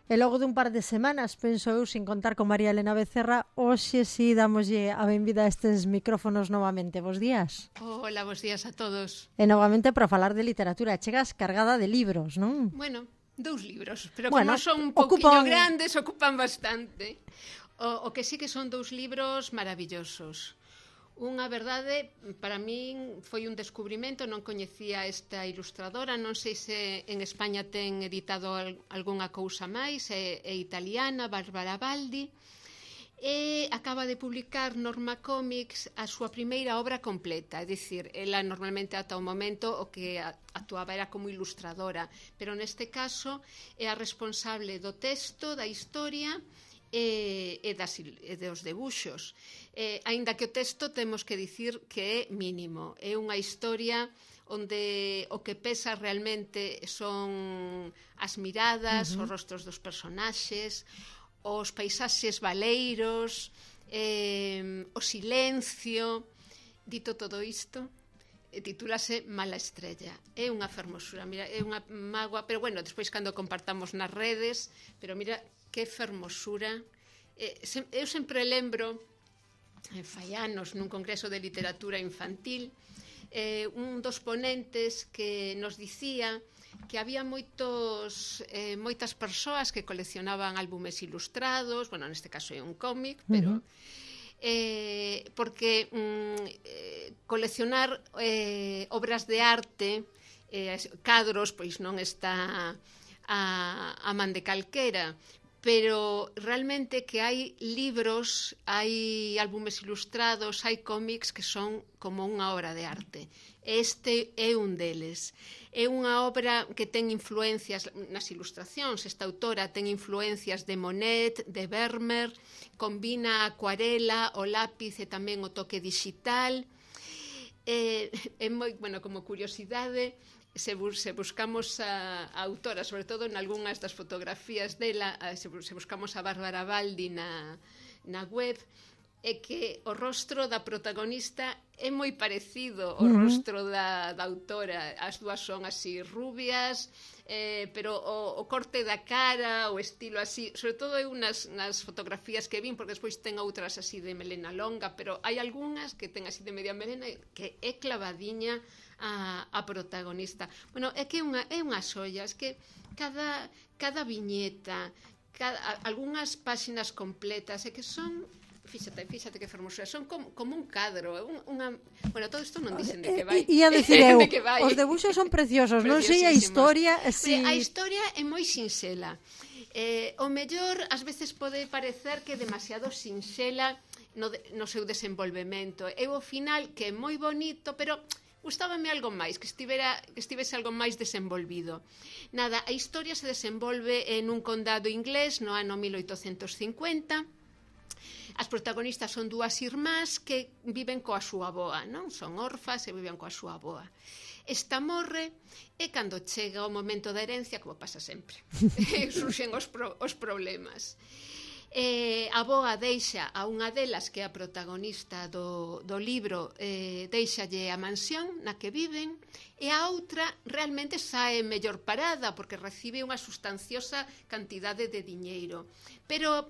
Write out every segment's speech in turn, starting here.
E logo dun par de semanas, penso eu, sin contar con María Elena Becerra, hoxe si damoslle a benvida a estes micrófonos novamente. Bos días. Hola, bos días a todos. E novamente para falar de literatura. Chegas cargada de libros, non? Bueno, 2 libros, pero bueno, como son un pouquiño grandes, ocupan bastante. O que sí que son 2 libros maravillosos. Unha verdade, para min foi un descubrimento, non coñecía esta ilustradora, non sei se en España ten editado algunha cousa máis, é italiana, Barbara Baldi, e acaba de publicar Norma Comics a súa primeira obra completa, é dicir, ela normalmente ata o momento o que actuaba era como ilustradora, pero neste caso é a responsable do texto, da historia e dos debuxos. Aínda que o texto temos que dicir que é mínimo, é unha historia onde o que pesa realmente son as miradas, os rostros dos personaxes, os paisaxes baleiros, o silencio. Dito todo isto, titúlase Mala estrella. É unha fermosura, mira, é unha mágoa, pero bueno, despois cando compartamos nas redes, pero mira que fermosura. Eu sempre lembro, fai anos, nun congreso de literatura infantil, un dos ponentes que nos dicía que había moitas persoas que coleccionaban álbumes ilustrados, bueno, neste caso é un cómic, pero porque coleccionar obras de arte, cadros, pois non está a man de calquera, pero realmente que hai libros, hai álbumes ilustrados, hai cómics que son como unha obra de arte. Este é un deles. É unha obra que ten influencias nas ilustracións. Esta autora ten influencias de Monet, de Vermeer, combina a acuarela, o lápiz e tamén o toque digital. É moi, bueno, como curiosidade, se buscamos a autora, sobre todo en algunhas das fotografías dela, se buscamos a Bárbara Baldi na web, é que o rostro da protagonista é moi parecido ao rostro da autora. As dúas son así rubias, pero o corte da cara, o estilo así, sobre todo eu nas fotografías que vin, porque despois ten outras así de melena longa, pero hai algunhas que ten así de media melena que é clavadiña a protagonista. Bueno, é que é unha xoia, é que cada viñeta, algunhas páxinas completas, é que son, fíxate que fermosura, son como un cadro, bueno, todo isto non dicen de que vai. Ia dicir eu, os debuxos son preciosos, non sei a historia. A historia é moi sinxela. O mellor, ás veces pode parecer que é demasiado sinxela no seu desenvolvemento. Eu ao final, que é moi bonito, pero gustábame algo máis, que estivese algo máis desenvolvido. Nada, a historia se desenvolve en un condado inglés no ano 1850. As protagonistas son 2 irmás que viven coa súa avoa, non? Son orfas e viven coa súa avoa. Esta morre e cando chega o momento da herencia, como pasa sempre, surxen os problemas. A avoa deixa a unha delas, que é a protagonista do libro, deixalle a mansión na que viven, e a outra realmente sae mellor parada porque recibe unha sustanciosa cantidade de diñeiro, pero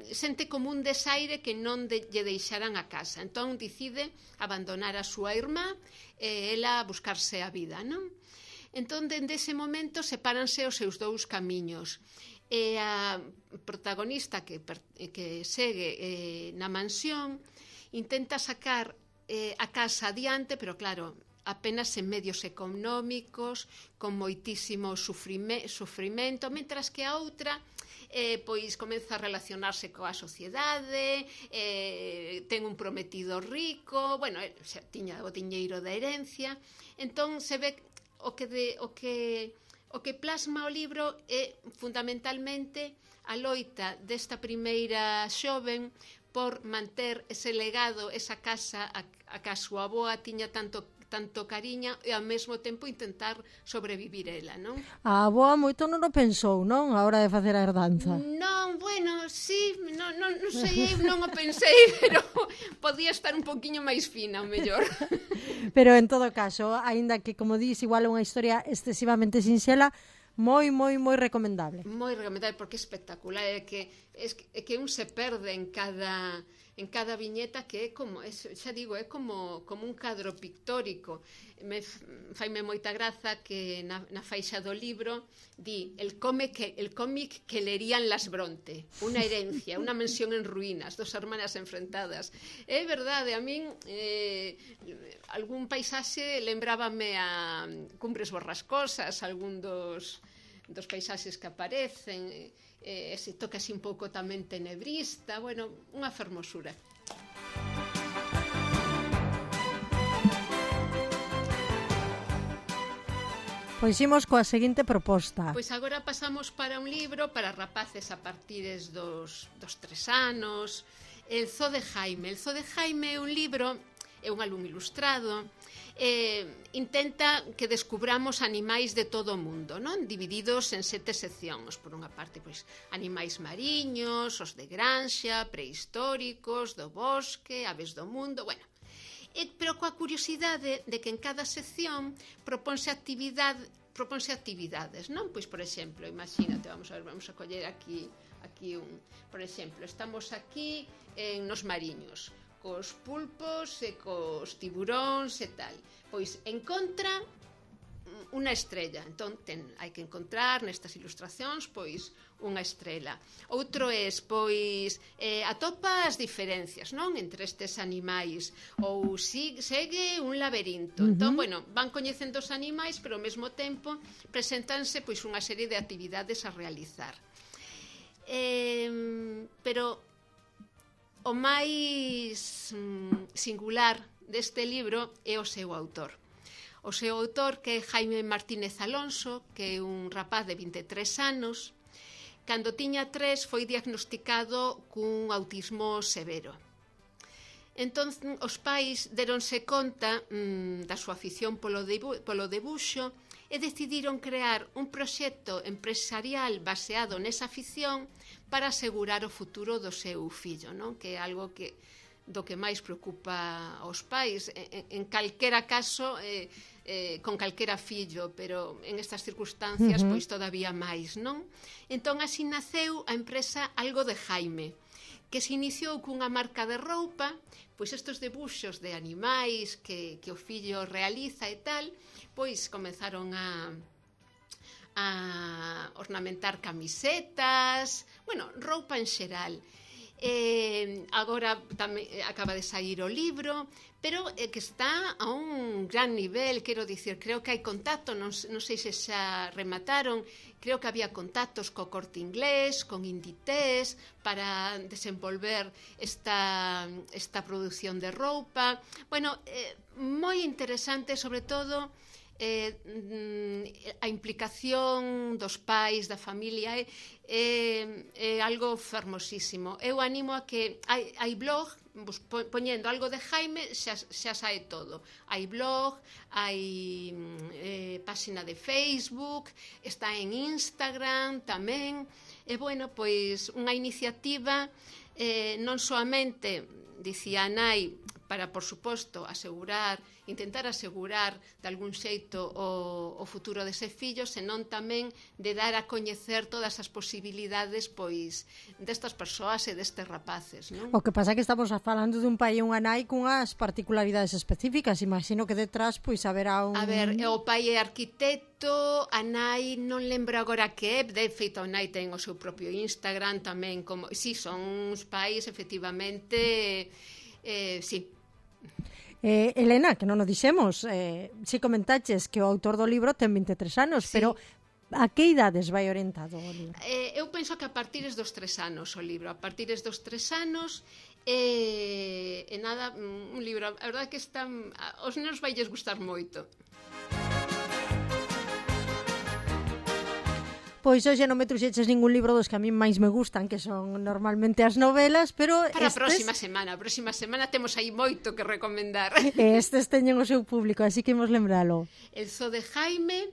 sente como un desaire que non lle deixaran a casa, entón decide abandonar a súa irmá e ela buscarse a vida, non? Entón, dende ese momento sepáranse os seus 2 camiños. E a protagonista que segue na mansión intenta sacar a casa adiante, pero claro, apenas en medios económicos, con moitísimo sufrimento, mentras que a outra pois comeza a relacionarse coa sociedade, ten un prometido rico, bueno, xa tiña o diñeiro da herencia, entón se ve o que plasma o libro é fundamentalmente a loita desta primeira xoven por manter ese legado, esa casa a que a súa avoa tiña tanto cariño e ao mesmo tempo intentar sobrevivir ela, non? A avoa moito non o pensou, non? A hora de facer a herdanza. Non, bueno, sí, non sei, non o pensei, pero podía estar un poquinho máis fina, o mellor. Pero en todo caso, aínda que, como dis, igual é unha historia excesivamente sinxela, moi recomendable. Moi recomendable porque é espectacular, é que un se perde en cada viñeta, que é como, xa digo, é como un cadro pictórico. Faime moita graza que na faixa do libro di el cómic que lerían las Bronte, unha herencia, unha mansión en ruínas, dos hermanas enfrentadas. É verdade, a min algún paisaxe lembrábame a Cumbres Borrascosas, algún dos paisaxes que aparecen, ese toque así un pouco tamén tenebrista, bueno, unha fermosura. Pois imos coa seguinte proposta. Pois agora pasamos para un libro para rapaces a partires dos 3 anos, El Zoo de Jaime. El Zoo de Jaime é un libro, é un álbum ilustrado, intenta que descubramos animais de todo o mundo, non? Divididos en 7 seccións. Por unha parte, pois, animais mariños, os de granxa, prehistóricos, do bosque, aves do mundo, bueno. Pero coa curiosidade de que en cada sección proponse actividades, non? Pois, por exemplo, imagínate, vamos a coller aquí un, por exemplo, estamos aquí nos mariños, cos pulpos e cos tiburóns e tal. Pois encontra unha estrella. Entón, hai que encontrar nestas ilustracións, pois, unha estrela. Outro é, pois, atopa as diferencias, non? Entre estes animais. Ou segue un laberinto. Entón, bueno, van coñecendo os animais, pero ao mesmo tempo presentanse, pois, unha serie de actividades a realizar. Pero o máis singular deste libro é o seu autor. O seu autor, que é Jaime Martínez Alonso, que é un rapaz de 23 anos, cando tiña 3 foi diagnosticado cun autismo severo. Entón, os pais deronse conta da súa afición polo debuxo e decidiron crear un proxecto empresarial baseado nesa afición para asegurar o futuro do seu fillo, non? Que é algo do que máis preocupa aos pais, en calquera caso, con calquera fillo, pero en estas circunstancias, pois todavía máis, non? Entón, así naceu a empresa Algo de Jaime, que se iniciou cunha marca de roupa, pois estes debuxos de animais que o fillo realiza e tal, pois comenzaron a ornamentar camisetas, bueno, roupa en xeral. Agora tamén acaba de sair o libro, pero que está a un gran nivel, quero dicir, creo que hai contacto, non sei se xa remataron, creo que había contactos co Corte Inglés, con Inditex, para desenvolver esta produción de roupa. Bueno, moi interesante, sobre todo a implicación dos pais, da familia, é algo fermosísimo. Eu animo a que hai blog, poñendo Algo de Jaime xa sae todo. Hai blog, hai páxina de Facebook, está en Instagram tamén. E bueno, pois unha iniciativa non soamente, dicía a nai, para, por suposto, intentar asegurar de algún xeito o futuro dese fillo, senón tamén de dar a coñecer todas as posibilidades, pois, destas persoas e destes rapaces, non? O que pasa é que estamos falando dun pai e unha nai cunhas particularidades específicas. Imagino que detrás, pois, haberá un... A ver, o pai é arquitecto, a nai non lembro agora que é, de feito a nai ten o seu propio Instagram tamén, como... Si, son uns pais, efectivamente, si. Elena, que non o dixemos, si comentaches que o autor do libro ten 23 anos, sí. Pero a que idades vai orientado o libro? Eu penso que a partires dos 3 anos o libro, a partires dos 3 anos, e nada, un libro, a verdade que aos nenos vailles gustar moito. Pois hoxe non me truxeches ningún libro dos que a mí máis me gustan, que son normalmente as novelas, pero para a próxima semana temos aí moito que recomendar. Estes teñen o seu público, así que imos lembralo. El Zoo de Jaime,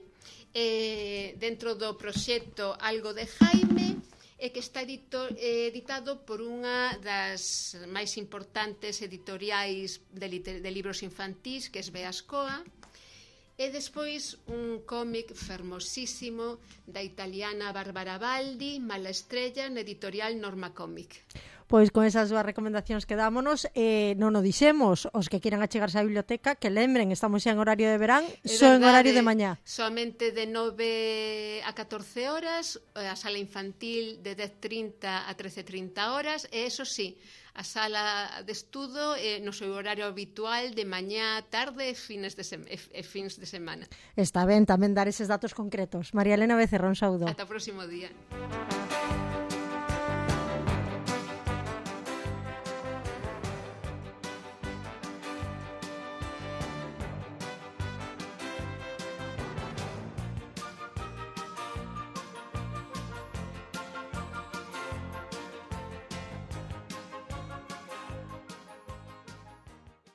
dentro do proxecto Algo de Jaime, que está editado por unha das máis importantes editoriais de libros infantís, que é Beascoa. E despois un cómic fermosísimo da italiana Bárbara Baldi, Mala estrella, na editorial Norma Cómic. Pois con esas dúas recomendacións que dámonos, non o dixemos, os que quieran achegarse á biblioteca, que lembren, estamos xa en horario de verán, só en horario de mañá. Somente de 9 a 14 horas, a sala infantil de 10:30 a 13:30 horas, e eso sí, a sala de estudo no seu horario habitual de mañá, tarde e fins de semana. Está ben tamén dar eses datos concretos. María Elena Becerra, un saúdo. Ata o próximo día.